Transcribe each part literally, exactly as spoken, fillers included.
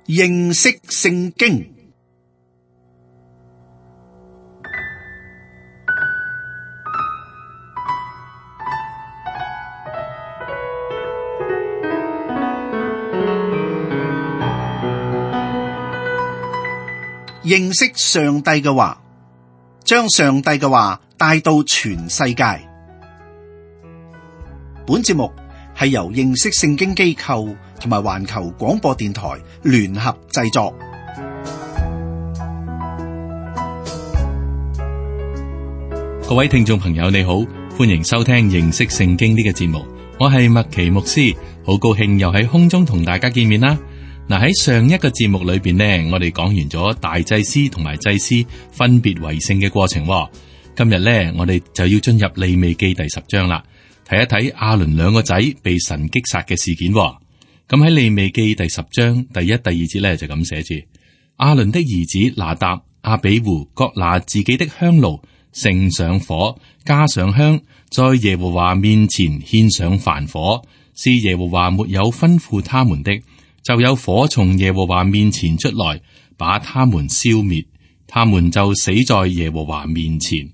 認識聖經。認識上帝嘅話，將上帝嘅話帶到全世界。本節目係由認識聖經機構同埋環球廣播電台聯合製作。各位聽眾朋友，你好，歡迎收聽認識聖經呢個節目。我係麥奇牧師，好高興又喺空中同大家見面啦。嗱，喺上一個節目裏邊呢，我哋講完咗大祭司同埋祭司分別為聖嘅過程。今日呢，我哋就要進入利未記第十章啦，睇一睇亞倫兩個仔被神擊殺嘅事件。咁喺利未記第十章第一、第二節呢，就咁寫住：亞倫的兒子拿答、亞比戶各拿自己的香爐，盛上火，加上香，在耶和華面前獻上燔火，是耶和華沒有吩咐他們的。就有火從耶和華面前出來，把他們消滅，他們就死在耶和華面前。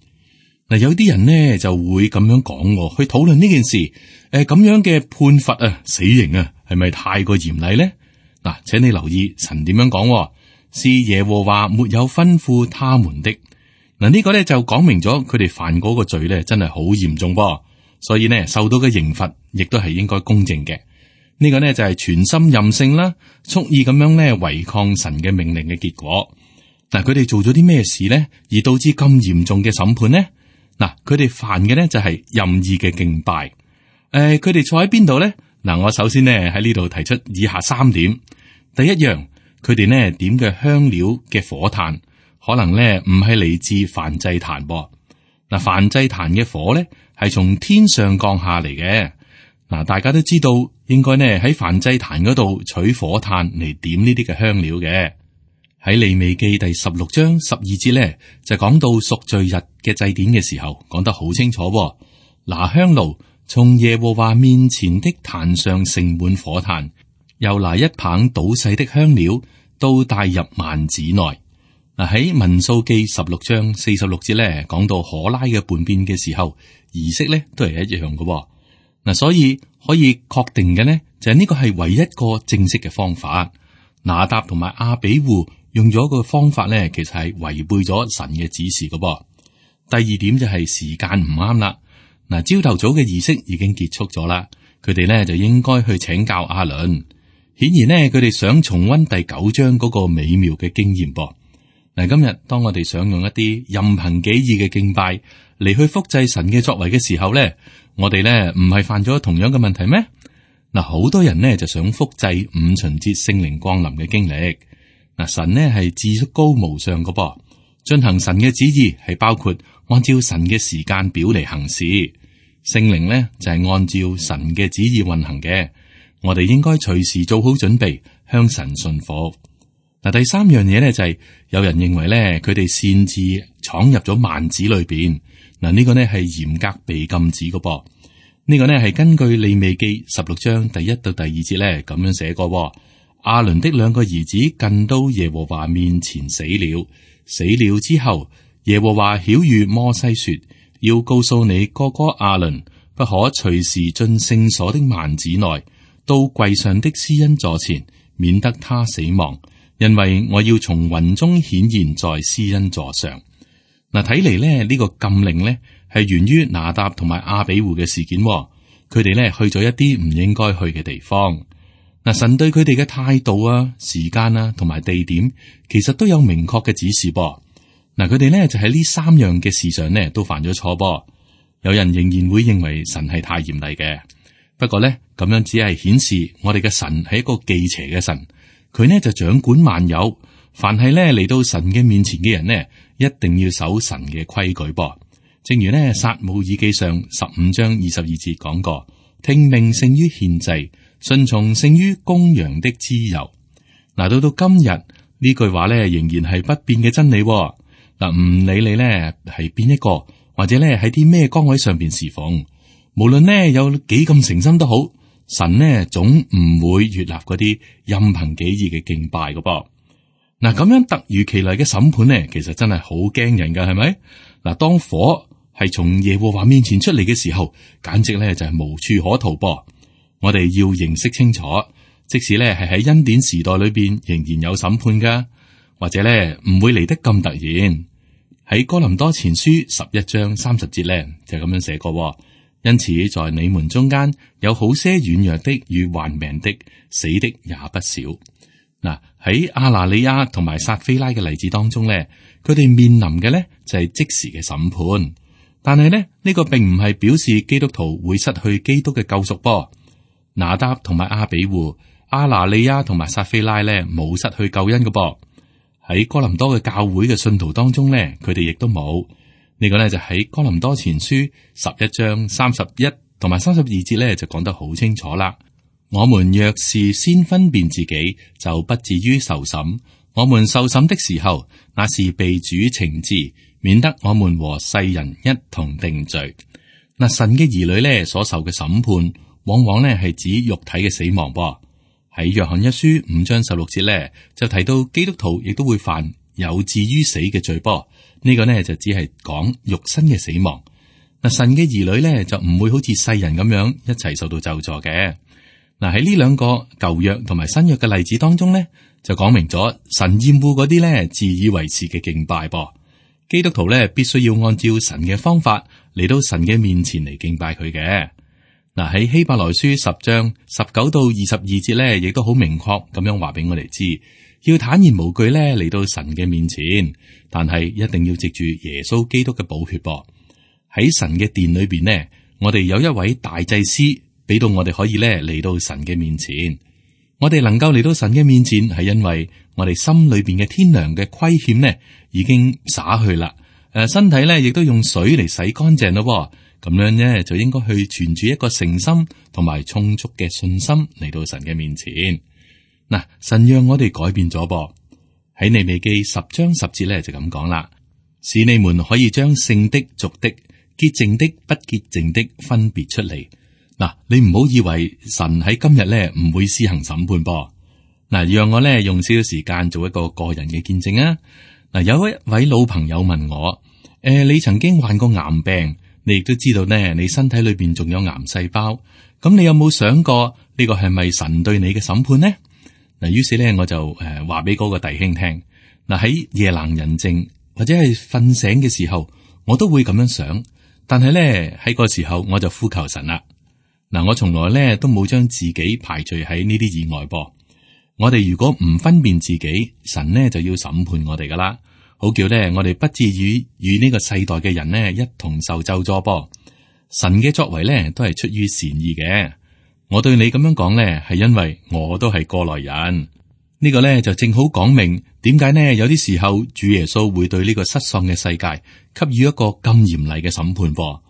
嗱，有啲人呢就會咁樣講，去討論呢件事。誒、呃，咁樣嘅判罰啊，死刑啊，係咪太過嚴厲呢？嗱，請你留意神點樣講，是耶和華沒有吩咐他們的。嗱，呢個咧就講明咗佢哋犯嗰個罪咧，真係好嚴重噃，所以呢，受到嘅刑罰亦都係應該公正嘅。呢個呢就係全心任性啦，蓄意咁樣咧違抗神嘅命令嘅結果。嗱，佢哋做咗啲咩事呢？而導致咁嚴重嘅審判呢？嗱，佢哋犯嘅呢就係任意嘅敬拜。誒、呃，佢哋坐喺邊度呢？嗱，我首先呢喺呢度提出以下三點。第一樣，佢哋呢點嘅香料嘅火炭，可能呢唔係嚟自燔祭壇噃。嗱，燔祭壇嘅火呢係從天上降下嚟嘅。嗱，大家都知道應該呢喺燔祭壇嗰度取火炭嚟點呢啲嘅香料嘅。喺利未記第十六章十二節呢，就講到贖罪日嘅祭典嘅時候，講得好清楚。拿香爐從耶和華面前的壇上盛滿火炭，又拿一棒搗細的香料，都帶入幔子內。嗱，喺民數記十六章四十六節呢，講到可拉嘅叛變嘅時候，儀式呢都係一樣嘅。嗱，所以可以確定嘅呢，就係呢個係唯一一個正式嘅方法。拿答同埋亞比戶用咗個方法呢，其實係違背咗神嘅指示嘅噃。第二點就係時間唔啱啦。嗱，朝頭早嘅儀式已經結束咗啦，佢哋呢就應該去請教亞倫。顯然呢，佢哋想重溫第九章嗰個美妙嘅經驗噃。嗱，今日當我哋想用一啲任憑己意嘅敬拜嚟去複製神嘅作為嘅時候呢，我哋呢唔係犯咗同樣嘅問題咩？嗱，好多人呢就想複製五旬節聖靈降臨嘅經歷。嗱，神呢係至高無上嘅噃，進行神嘅旨意係包括按照神嘅時間表嚟行事。聖靈呢就係按照神嘅旨意運行嘅，我哋應該隨時做好準備向神順服。嗱，第三樣嘢呢就係有人認為呢，佢哋擅自闖入咗幔子裏邊。嗱，呢個呢係嚴格被禁止嘅噃。呢個呢係根據利未記十六章第一到第二節呢咁樣寫過。亞倫的兩個兒子近到耶和華面前死了，死了之後，耶和華曉諭摩西說：要告訴你哥哥亞倫，不可隨時進聖所的幔子內，到櫃上的施恩座前，免得他死亡，因為我要從雲中顯現在施恩座上。嗱，睇嚟咧，呢個禁令呢係源於拿答同埋亞比戶嘅事件。佢哋呢去咗一啲唔應該去嘅地方。嗱，神對佢哋嘅態度啊、時間啊同埋地點，其實都有明確嘅指示噃。嗱，佢哋呢就喺呢三樣嘅事上呢都犯咗錯噃。有人仍然會認為神係太嚴厲嘅，不過呢，咁樣只係顯示我哋嘅神係一個忌邪嘅神。佢呢就掌管萬有，凡係呢嚟到神嘅面前嘅人呢，一定要守神嘅規矩噃。正如呢撒母耳記上十五章二十二節講過，聽命勝於獻祭，順從勝於公羊的脂油。嗱，到到今日呢句話呢，仍然係不變嘅真理。嗱，唔理你呢係邊一個，或者呢喺啲咩崗位上邊侍奉，無論呢有幾咁誠心都好，神呢總唔會悅納嗰啲任憑己意嘅敬拜嘅噃。嗱，咁樣突如其來嘅審判呢，其實真係好驚人噶，係咪？嗱，當火係從耶和華面前出嚟嘅時候，簡直咧就係無處可逃噃。我哋要認識清楚，即使咧係喺恩典時代裏邊，仍然有審判噶，或者咧唔會嚟得咁突然。喺哥林多前書十一章三十節咧就咁樣寫過，因此在你們中間有好些軟弱的與患病的，死的也不少。嗱，喺亞拿尼亞同埋撒非拉嘅例子當中咧，佢哋面臨嘅咧就係即時嘅審判，但係咧呢個並唔係表示基督徒會失去基督嘅救贖噃。拿答同埋亞比戶、亞拿尼亞同埋撒非拉咧冇失去救恩嘅噃。喺哥林多嘅教會嘅信徒當中咧，佢哋亦都冇。呢個咧就喺哥林多前書十一章三十一同埋三十二節咧就講得好清楚啦。我們若是先分辨自己，就不至於受審。我們受審的時候，那是被主懲治，免得我們和世人一同定罪。嗱，神嘅兒女咧所受嘅審判，往往咧係指肉體嘅死亡噃。喺約翰一書五章十六節咧，就提到基督徒亦都會犯有至於死嘅罪噃。呢個呢，就只係講肉身嘅死亡。嗱，神嘅兒女咧就唔會好似世人咁樣一齊受到咒詛嘅。嗱，喺呢兩個舊約同埋新約嘅例子當中咧，就講明咗神厭惡嗰啲咧自以為是嘅敬拜噃。基督徒咧必須要按照神嘅方法嚟到神嘅面前嚟敬拜佢嘅。嗱，喺希伯來書十章十九到二十二節咧，亦都好明確咁樣話俾我哋知，要坦然無懼咧嚟到神嘅面前，但係一定要藉住耶穌基督嘅寶血噃。喺神嘅殿裏邊呢，我哋有一位大祭司。俾到我哋可以咧嚟到神嘅面前，我哋能夠嚟到神嘅面前，係因為我哋心裏邊嘅天良嘅虧欠呢已經灑去啦。誒，身體咧亦都用水嚟洗乾淨咯。咁樣呢就應該去存住一個誠心同埋充足嘅信心嚟到神嘅面前。嗱，神讓我哋改變咗噃。喺利未記十章十節咧就咁講啦，使你們可以將聖的、俗的、潔淨的、不潔淨的分別出嚟。嗱，你唔好以為神喺今日咧唔會施行審判噃。嗱，讓我咧用少少時間做一個個人嘅見證啊。嗱，有一位老朋友問我，誒、呃，你曾經患過癌病，你亦都知道呢，你身體裏邊仲有癌細胞，咁你有冇想過呢個係咪神對你嘅審判呢？嗱，於是咧我就誒話俾嗰個弟兄聽，嗱，喺夜闌人靜或者係瞓醒嘅時候，我都會咁樣想，但係咧喺個時候我就呼求神啦。嗱，我從來咧都冇將自己排除喺呢啲以外噃。我哋如果唔分辨自己，神呢就要審判我哋噶啦，好叫咧我哋不至於與呢個世代嘅人呢一同受咒詛噃。神嘅作為咧都係出於善意嘅。我對你咁樣講咧，係因為我都係過來人。呢個咧就正好講明點解呢有啲時候主耶穌會對呢個失喪嘅世界給予一個咁嚴厲嘅審判噃。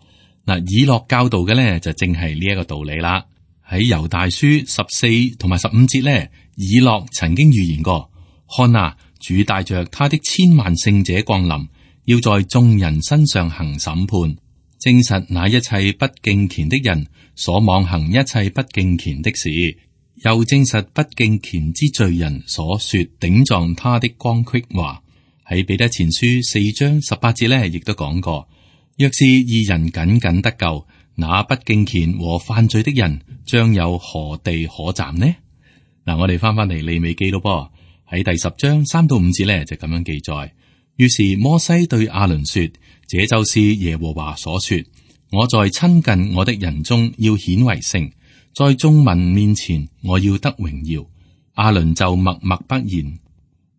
嗱，以諾教導嘅咧就正係呢一個道理啦。喺猶大書十四同埋十五節咧，以諾曾經預言過：看啊，主帶着他的千萬聖者降臨，要在眾人身上行審判，證實那一切不敬虔的人所妄行一切不敬虔的事，又證實不敬虔之罪人所說頂撞他的光虢話。喺彼得前書四章十八節咧，亦都講過。若是義人僅僅得救，那不敬虔和犯罪的人將有何地可站呢？嗱，我哋翻翻嚟利未記咯噃，喺第十章三到五節咧就咁樣記載。於是摩西對亞倫說：這就是耶和華所說，我在親近我的人中要顯為聖，在眾民面前我要得榮耀。亞倫就默默不言。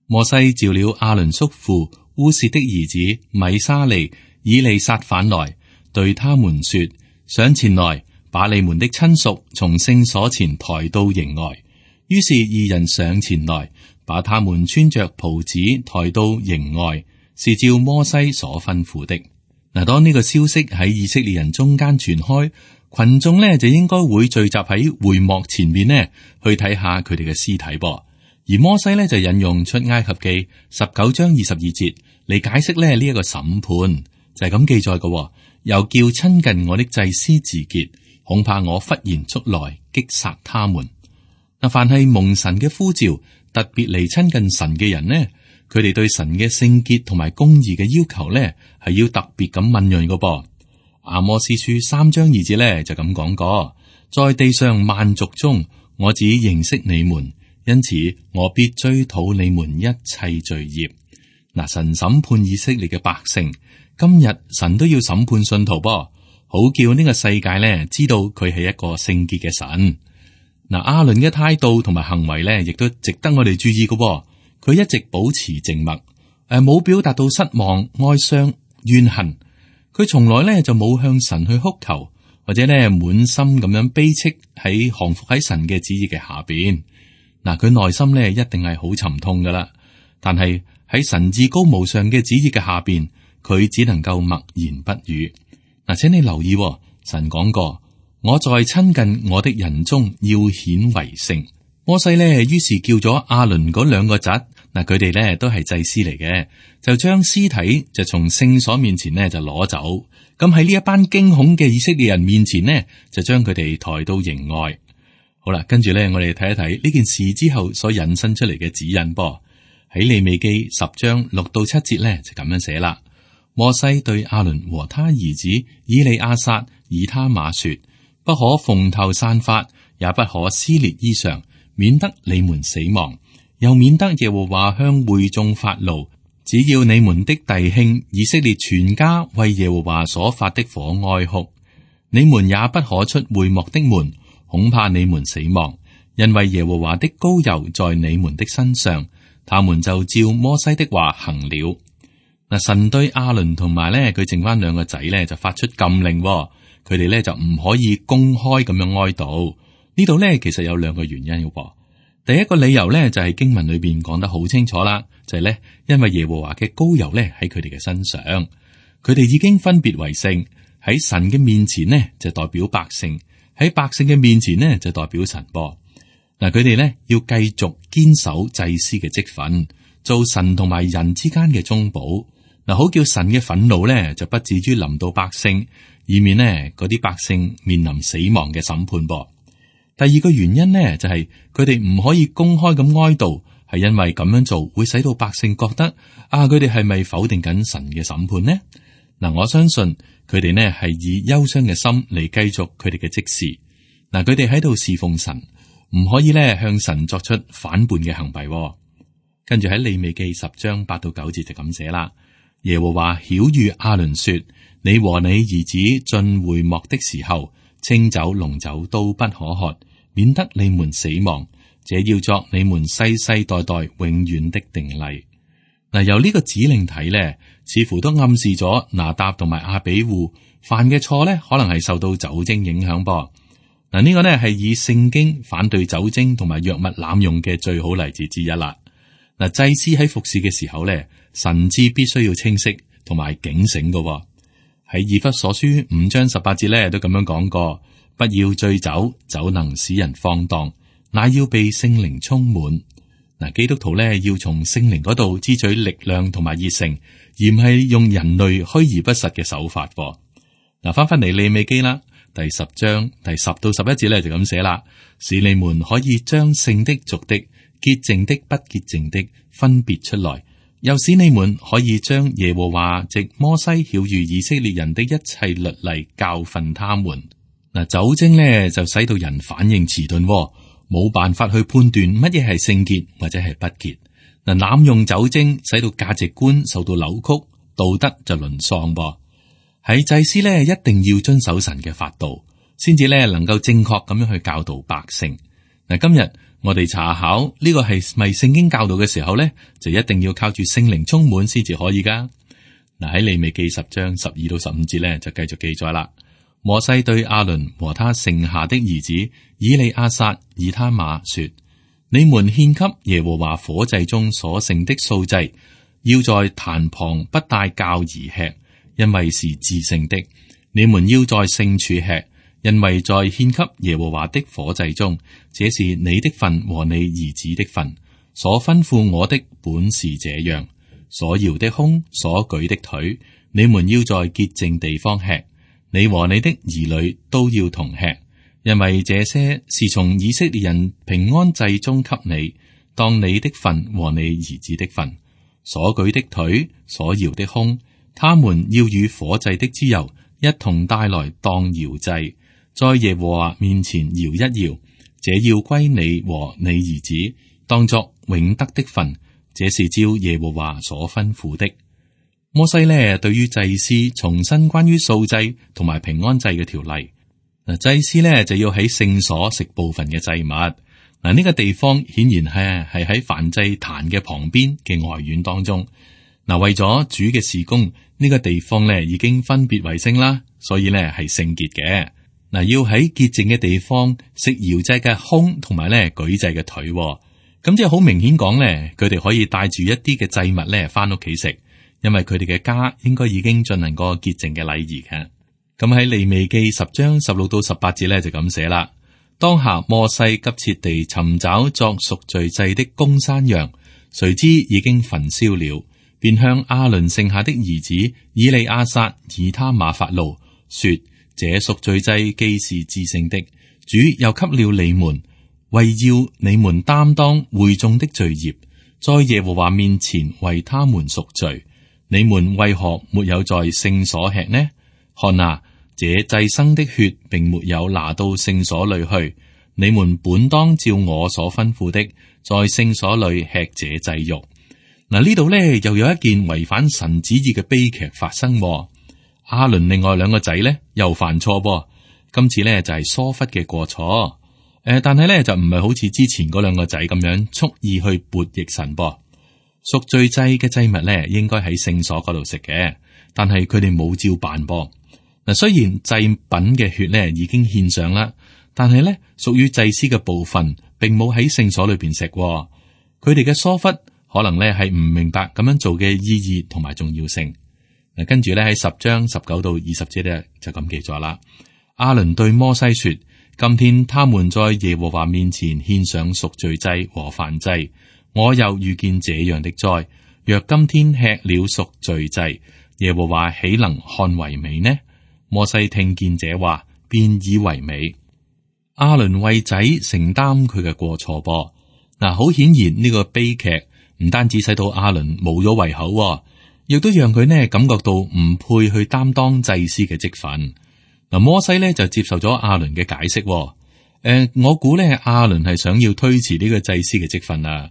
摩西召了亞倫叔父烏薛的兒子米沙利、以利撒反來，對他們說：上前來，把你們的親屬從聖所前抬到營外。於是二人上前來，把他們穿着袍子抬到營外，是照摩西所吩咐的。嗱，當呢個消息喺以色列人中間傳開，群眾呢就應該會聚集喺會幕前面呢，去睇下佢哋嘅屍體噃。而摩西呢就引用出埃及記十九章二十二節嚟解釋咧呢一個審判。就係咁記載嘅，又叫親近我的祭司自潔，恐怕我忽然速來擊殺他們。嗱，凡係蒙神嘅呼召，特別嚟親近神嘅人呢，佢哋對神嘅聖潔同埋公義嘅要求呢，係要特別咁敏銳嘅噃。阿摩司書三章二節呢就咁講過，在地上萬族中，我只認識你們，因此我必追討你們一切罪孽。嗱，神審判以色列嘅百姓，今日神都要審判信徒噃，好叫呢個世界呢知道佢係一個聖潔嘅神。嗱，亞倫嘅態度同埋行為呢，亦都值得我哋注意嘅。佢一直保持靜默，誒，冇表達到失望、哀傷、怨恨。佢從來呢就冇向神去哭求，或者呢滿心咁樣悲戚喺降服喺神嘅旨意嘅下邊。嗱，佢內心呢一定係好沉痛噶啦，但係喺神至高無上嘅旨意嘅下邊，佢只能夠默言不語。嗱，請你留意，神講過，我在親近我的人中要顯為聖。摩西呢，於是叫咗亞倫嗰兩個侄，嗱，佢哋呢都係祭司嚟嘅，就將屍體就從聖所面前呢就攞走。咁喺呢一班驚恐嘅以色列人面前呢，就將佢哋抬到營外。好啦，跟住呢，我哋睇一睇呢件事之後所引申出嚟嘅指引噃。喺利未記十章六到七節呢，就咁樣寫啦。摩西對亞倫和他兒子以利亞撒、以他瑪說：不可蓬頭散髮，也不可撕裂衣裳，免得你們死亡，又免得耶和華向會眾發怒。只要你們的弟兄以色列全家為耶和華所發的火哀哭，你們也不可出會幕的門，恐怕你們死亡，因為耶和華的膏油在你們的身上。他們就照摩西的話行了。嗱，神對亞倫同埋咧佢剩翻兩個仔咧就發出禁令，佢哋咧就唔可以公開咁樣哀悼。呢度咧其實有兩個原因嘅。第一個理由咧就係經文裏邊講得好清楚啦，就係咧因為耶和華嘅膏油咧喺佢哋嘅身上，佢哋已經分別為聖，喺神嘅面前呢就代表百姓，喺百姓嘅面前呢就代表神噃。嗱，佢哋咧要繼續堅守祭司嘅職分，做神同埋人之間嘅中保。嗱，好叫神嘅憤怒咧就不至於臨到百姓，以免呢嗰啲百姓面臨死亡嘅審判噃。第二個原因呢，就係佢哋唔可以公開咁哀悼，係因為咁樣做會使到百姓覺得啊，佢哋係咪否定緊神嘅審判呢？嗱，我相信佢哋呢係以憂傷嘅心嚟繼續佢哋嘅職事。嗱，佢哋喺度侍奉神。唔可以咧向神作出反叛嘅行為。跟住喺利未記十章八到九節就咁寫啦。耶和華曉諭亞倫說：你和你兒子進會幕的時候，清酒濃酒都不可喝，免得你們死亡。這要作你們世世代代永遠的定例。嗱，由呢個指令睇呢，似乎都暗示咗拿答同埋亞比戶犯嘅錯呢，可能係受到酒精影響噃。嗱，呢個呢係以聖經反對酒精同埋藥物濫用嘅最好例子之一啦。嗱，祭司喺服侍嘅時候呢，神志必須要清晰同埋警醒嘅。喺以弗所書五章十八節呢都咁樣講過：不要醉酒，酒能使人放蕩，乃要被聖靈充滿。嗱，基督徒呢要從聖靈嗰度支取力量同埋熱誠，而唔係用人類虛而不實嘅手法。嗱，翻翻嚟利未記啦。第十章第十到十一節咧就咁寫啦，使你們可以將聖的俗的、潔淨的不潔淨的分別出來，又使你們可以將耶和華藉摩西曉諭以色列人的一切律例教訓他們。嗱，酒精咧就使到人反應遲鈍，冇辦法去判斷乜嘢係聖潔或者係不潔。嗱，濫用酒精使到價值觀受到扭曲，道德就淪喪噃。喺祭司咧，一定要遵守神嘅法度，先至咧能夠正確咁樣去教導百姓。嗱，今日我哋查考呢個係咪聖經教導嘅時候咧，就一定要靠住聖靈充滿先至可以噶。嗱，喺利未記十章十二到十五節咧，就繼續記載啦。摩西對亞倫和他剩下的兒子以利亞撒、以他瑪說：你們獻給耶和華火祭中所剩的素祭，要在壇旁不帶酵而吃。因為是至聖的，你們要在聖處吃，因為在獻給耶和華的火祭中，這是你的份和你兒子的份。所吩咐我的本是這樣，所搖的胸，所舉的腿，你們要在潔淨地方吃。你和你的兒女都要同吃，因為這些是從以色列人平安祭中給你，當你的份和你兒子的份，所舉的腿，所搖的胸，他們要與火祭的脂油一同帶來當搖祭，在耶和華面前搖一搖，這要歸你和你兒子，當作永得的份，這是照耶和華所吩咐的。摩西呢，對於祭司重申關於素祭同埋平安祭嘅條例。嗱，祭司呢就要喺聖所食部分嘅祭物。嗱，呢個地方顯然係係喺燔祭壇嘅旁邊嘅外院當中。嗱，為咗主嘅事工，呢個地方呢已經分別為聖啦，所以呢係聖潔嘅。嗱，要喺潔淨嘅地方食搖祭嘅胸同埋咧舉祭嘅腿，咁即係好明顯講咧，佢哋可以帶住一啲嘅祭物咧翻屋企食，因為佢哋嘅家應該已經進行過潔淨嘅禮儀嘅。咁喺利未記十章十六到十八節咧就咁寫啦。當下摩西急切地尋找作贖罪祭的公山羊，誰知已經焚燒了，便向亞倫剩下的兒子以利亞撒、以他瑪發怒，說：這贖罪祭既是至聖的，主又給了你們，為要你們擔當會眾的罪孽，在耶和華面前為他們贖罪。你們為何沒有在聖所吃呢？看啊，這祭牲的血並沒有拿到聖所裏去。你們本當照我所吩咐的，在聖所裏吃這祭肉。嗱，呢度呢又有一件違反神旨意嘅悲劇發生。亞倫另外兩個仔呢又犯錯噃，今次呢就係疏忽嘅過錯。誒、呃，但係呢就唔係好似之前嗰兩個仔咁樣蓄意去悖逆神噃。贖罪祭嘅祭物呢應該喺聖所嗰度食嘅，但係佢哋冇照辦噃。嗱，雖然祭品嘅血呢已經獻上啦，但係呢屬於祭司嘅部分並冇喺聖所裏邊食。佢哋嘅疏忽可能呢係唔明白咁樣做嘅意義同埋重要性。嗱，跟住咧喺十章十九到二十節咧就咁記載啦。亞倫對摩西說：今天他們在耶和華面前獻上贖罪祭和燔祭，我又遇見這樣的災。若今天吃了贖罪祭，耶和華豈能看為美呢？摩西聽見這話，便以為美。亞倫為仔承擔佢嘅過錯噃。嗱，好顯然呢個悲劇唔單止使到亞倫冇咗胃口，亦都讓佢呢感覺到唔配去擔當祭司嘅職分。嗱，摩西呢就接受咗亞倫嘅解釋。誒、呃，我估呢亞倫係想要推遲呢個祭司嘅職分啊。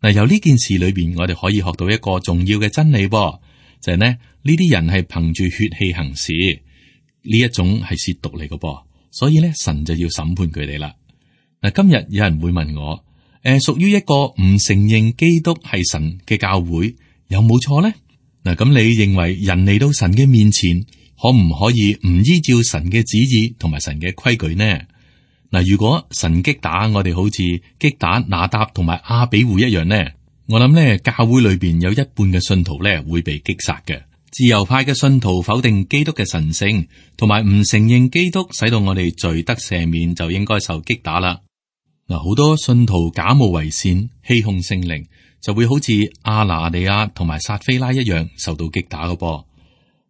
嗱，由呢件事裏邊，我哋可以學到一個重要嘅真理，噃就係、是、呢呢啲人係憑住血氣行事，呢一種係褻瀆嚟嘅噃，所以呢神就要審判佢哋啦。嗱，今日有人會問我，誒、呃，屬於一個唔承認基督係神嘅教會，有冇錯呢？嗱，咁你認為人嚟到神嘅面前，可唔可以唔依照神嘅旨意同埋神嘅規矩呢？嗱，如果神擊打我哋，好似擊打拿答同埋亞比戶一樣呢，我諗呢教會裏邊有一半嘅信徒呢會被擊殺嘅。自由派嘅信徒否定基督嘅神聖，同埋唔承認基督使到我哋罪得赦免，就應該受擊打啦。嗱，好多信徒假冒為善，欺哄聖靈，就會好似亞拿尼亞同埋撒非拉一樣受到擊打嘅噃。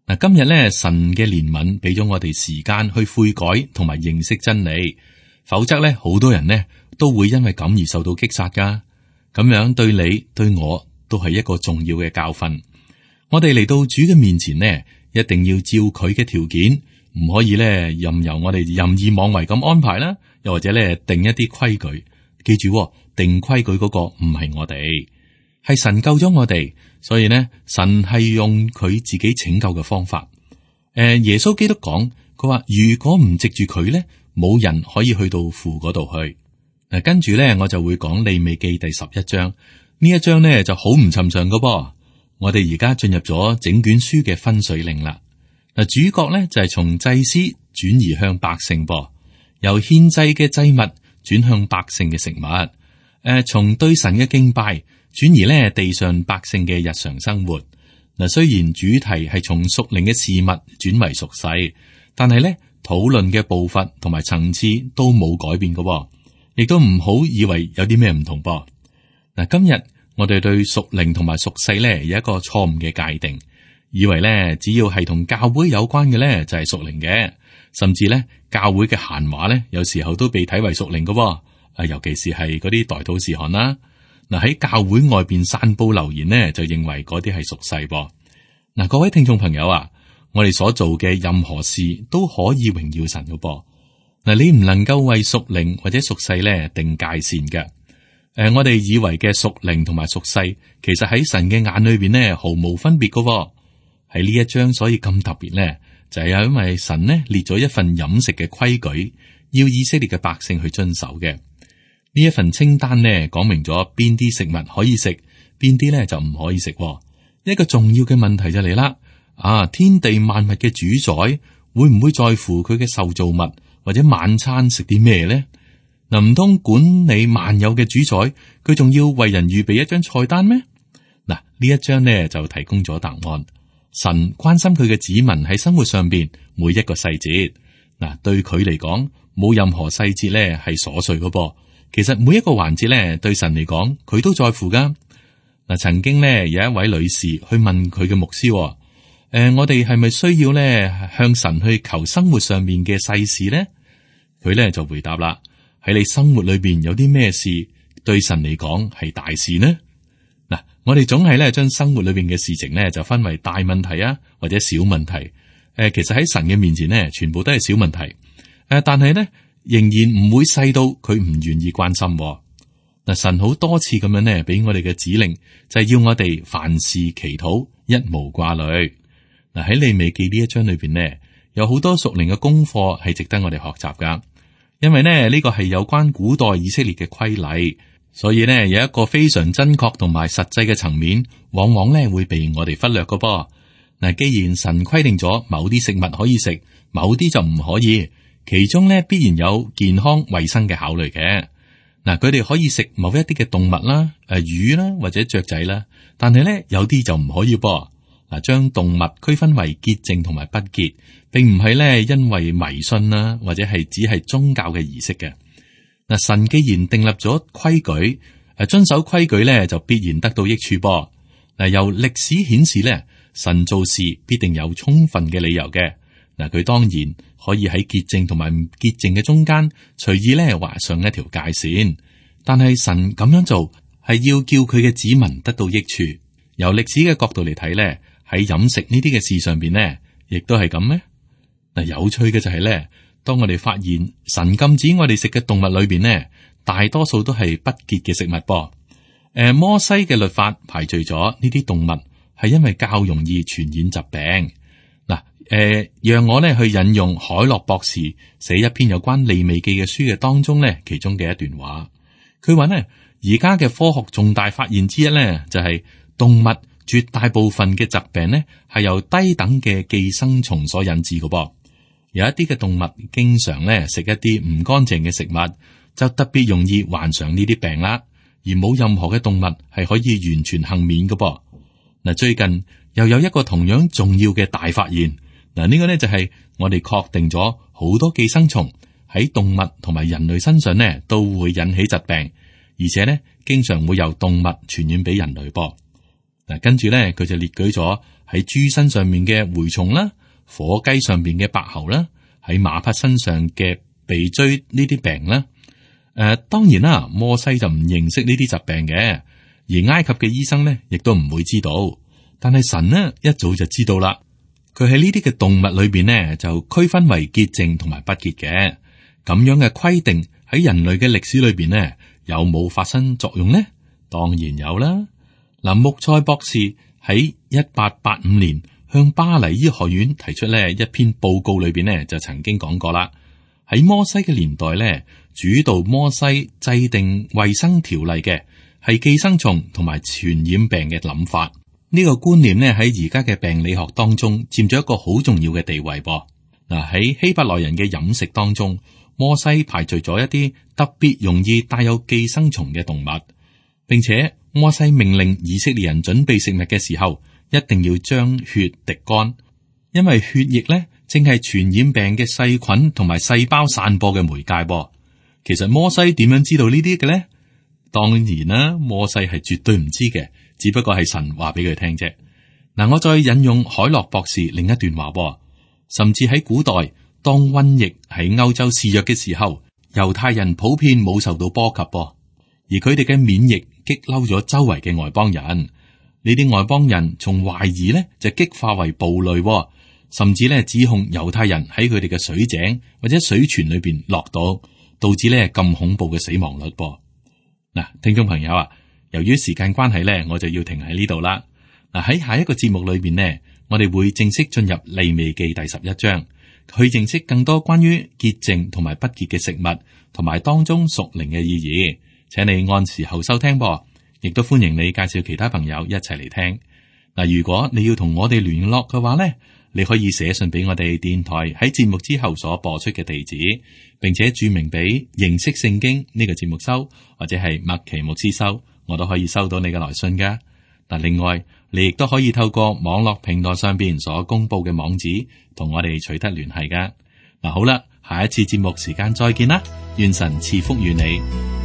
嗱，今日咧神嘅憐憫俾咗我哋時間去悔改同埋認識真理，否則咧好多人呢都會因為咁而受到擊殺噶。咁樣對你對我都係一個重要嘅教訓。我哋嚟到主嘅面前呢，一定要照佢嘅條件，唔可以咧任由我哋任意妄為咁安排啦，又或者咧定一啲規矩。記住，定規矩嗰個唔係我哋。係神救咗我哋，所以呢，神係用佢自己拯救嘅方法。誒、呃，耶穌基督講，佢話如果唔藉住佢咧，冇人可以去到父嗰度去。嗱、啊，跟住咧，我就會講利未記第十一章。呢一章咧就好唔尋常噶噃。我哋而家進入咗整卷書嘅分水嶺啦。嗱、啊，主角咧就係、是、從祭司轉移向百姓噃，由獻祭嘅祭物轉向百姓嘅食物。誒、呃，從對神嘅敬拜。轉移咧地上百姓嘅日常生活。嗱，雖然主題係從屬靈嘅事物轉為屬世，但係咧討論嘅步伐同埋層次都冇改變嘅，亦都唔好以為有啲咩唔同噃。嗱，今日我哋對屬靈同埋屬世咧有一個錯誤嘅界定，以為咧只要係同教會有關嘅咧就係屬靈嘅，甚至咧教會嘅閒話咧有時候都被睇為屬靈嘅。啊，尤其是係嗰啲代禱事項啦。嗱，喺教會外邊散布流言呢，就認為嗰啲係屬世噃。嗱，各位聽眾朋友啊，我哋所做嘅任何事都可以榮耀神嘅噃。嗱，你唔能夠為屬靈或者屬世咧定界線嘅。誒、呃，我哋以為嘅屬靈同埋屬世，其實喺神嘅眼裏邊呢，毫無分別嘅。喺呢一章所以咁特別咧，就係因為神呢列咗一份飲食嘅規矩，要以色列嘅百姓去遵守嘅。呢一份清單呢，講明咗邊啲食物可以食，邊啲咧就唔可以食。一個重要嘅問題就嚟啦，啊，天地萬物嘅主宰會唔會在乎佢嘅受造物或者晚餐食啲咩呢？嗱，唔通管理萬有嘅主宰，佢仲要為人預備一張菜單咩？嗱，呢一章呢就提供咗答案。神關心佢嘅子民喺生活上邊每一個細節。嗱，對佢嚟講，冇任何細節咧係瑣碎嘅噃。其實每一個環節咧，對神嚟講，佢都在乎噶。嗱，曾經咧有一位女士去問佢嘅牧師，誒、呃，我哋係咪需要咧向神去求生活上面嘅細事呢？佢咧就回答啦：喺你生活裏邊有啲咩事對神嚟講係大事呢？嗱，我哋總係咧將生活裏邊嘅事情咧就分為大問題啊，或者小問題。誒、呃，其實喺神嘅面前呢，全部都係小問題。誒、呃，但係咧。仍然唔會細到佢唔願意關心。嗱，神好多次咁樣呢，俾我哋嘅指令就係要我哋凡事祈禱，一無掛慮。嗱，喺利未記呢一章裏邊呢，有好多屬靈嘅功課係值得我哋學習噶。因為呢呢個係有關古代以色列嘅規例，所以呢有一個非常真確同埋實際嘅層面，往往呢會被我哋忽略噶噃。嗱，既然神規定咗某啲食物可以食，某啲就唔可以。其中咧必然有健康衛生嘅考慮嘅。嗱，佢哋可以食某一啲嘅動物啦，誒魚啦或者雀仔啦，但係咧有啲就唔可以噃。嗱，將動物區分為潔淨同埋不潔，並唔係咧因為迷信啦，或者係只係宗教嘅儀式嘅。嗱，神既然訂立咗規矩，誒遵守規矩咧就必然得到益處噃。嗱，由歷史顯示咧，神做事必定有充分嘅理由嘅。嗱，佢當然可以喺潔淨同埋唔潔淨嘅中間隨意咧劃上一條界線，但係神咁樣做係要叫佢嘅子民得到益處。由歷史嘅角度嚟睇咧，喺飲食呢啲嘅事上邊呢，亦都係咁咩？嗱，有趣嘅就係咧，當我哋發現神禁止我哋食嘅動物裏邊呢，大多數都係不潔嘅食物噃。誒，摩西嘅律法排除咗呢啲動物，係因為較容易傳染疾病。誒、呃，讓我咧去引用海洛博士寫一篇有關利未記嘅書嘅當中咧，其中嘅一段話，佢話呢，而家嘅科學重大發現之一咧，就係、是、動物絕大部分嘅疾病呢係由低等嘅寄生蟲所引致嘅噃。有一啲嘅動物經常咧食一啲唔乾淨嘅食物，就特別容易患上呢啲病啦。而冇任何嘅動物係可以完全幸免嘅噃。嗱，最近又有一個同樣重要嘅大發現。嗱，呢個呢就係我哋確定咗好多寄生蟲喺動物同埋人類身上呢都會引起疾病，而且呢經常會由動物傳染俾人類噃。嗱，跟住呢佢就列舉咗喺豬身上面嘅蛔蟲啦，火雞上邊嘅白喉啦，喺馬匹身上嘅鼻疽呢啲病啦。誒、呃，當然啦，摩西就唔認識呢啲疾病嘅，而埃及嘅醫生呢亦都唔會知道，但係神呢一早就知道啦。佢喺呢啲嘅動物裏邊呢，就區分為潔淨同埋不潔嘅。咁樣嘅規定喺人類嘅歷史裏邊呢，有冇發生作用呢？當然有啦。嗱，穆塞博士喺一八八五年向巴黎醫學院提出呢一篇報告裏邊呢，就曾經講過啦。喺摩西嘅年代呢，主導摩西制定衛生條例嘅係寄生蟲同埋傳染病嘅諗法。呢個觀念咧喺而家嘅病理學當中佔咗一個好重要嘅地位噃。嗱，喺希伯來人嘅飲食當中，摩西排除咗一啲特別容易帶有寄生蟲嘅動物，並且摩西命令以色列人準備食物嘅時候，一定要將血滴乾，因為血液咧正係傳染病嘅細菌同埋細胞散播嘅媒介噃。其實摩西點樣知道呢啲嘅咧？當然啦，摩西係絕對唔知嘅。只不過係神話俾佢聽啫。嗱，我再引用海洛博士另一段話，甚至喺古代，當瘟疫喺歐洲肆虐嘅時候，猶太人普遍冇受到波及，而佢哋嘅免疫激嬲咗周圍嘅外邦人。呢啲外邦人從懷疑呢就激化為暴戾，甚至呢指控猶太人喺佢哋嘅水井或者水泉裏邊落毒，導致呢咁恐怖嘅死亡率。噃嗱，聽眾朋友啊，由於時間關係呢，我就要停喺呢度啦。嗱，喺下一個節目裏邊呢，我哋會正式進入利未記第十一章，去認識更多關於潔淨同埋不潔嘅食物，同埋當中屬靈嘅意義。請你按時候收聽噃，亦都歡迎你介紹其他朋友一齊嚟聽。嗱，如果你要同我哋聯絡嘅話呢，你可以寫信俾我哋電台喺節目之後所播出嘅地址，並且注明俾認識聖經呢個節目收，或者係麥奇牧師收，我都可以收到你嘅來信噶。嗱，另外你亦都可以透過網絡平台上邊所公布嘅網址，同我哋取得聯繫噶。嗱，好啦，下一次節目時間再見啦，願神賜福於你。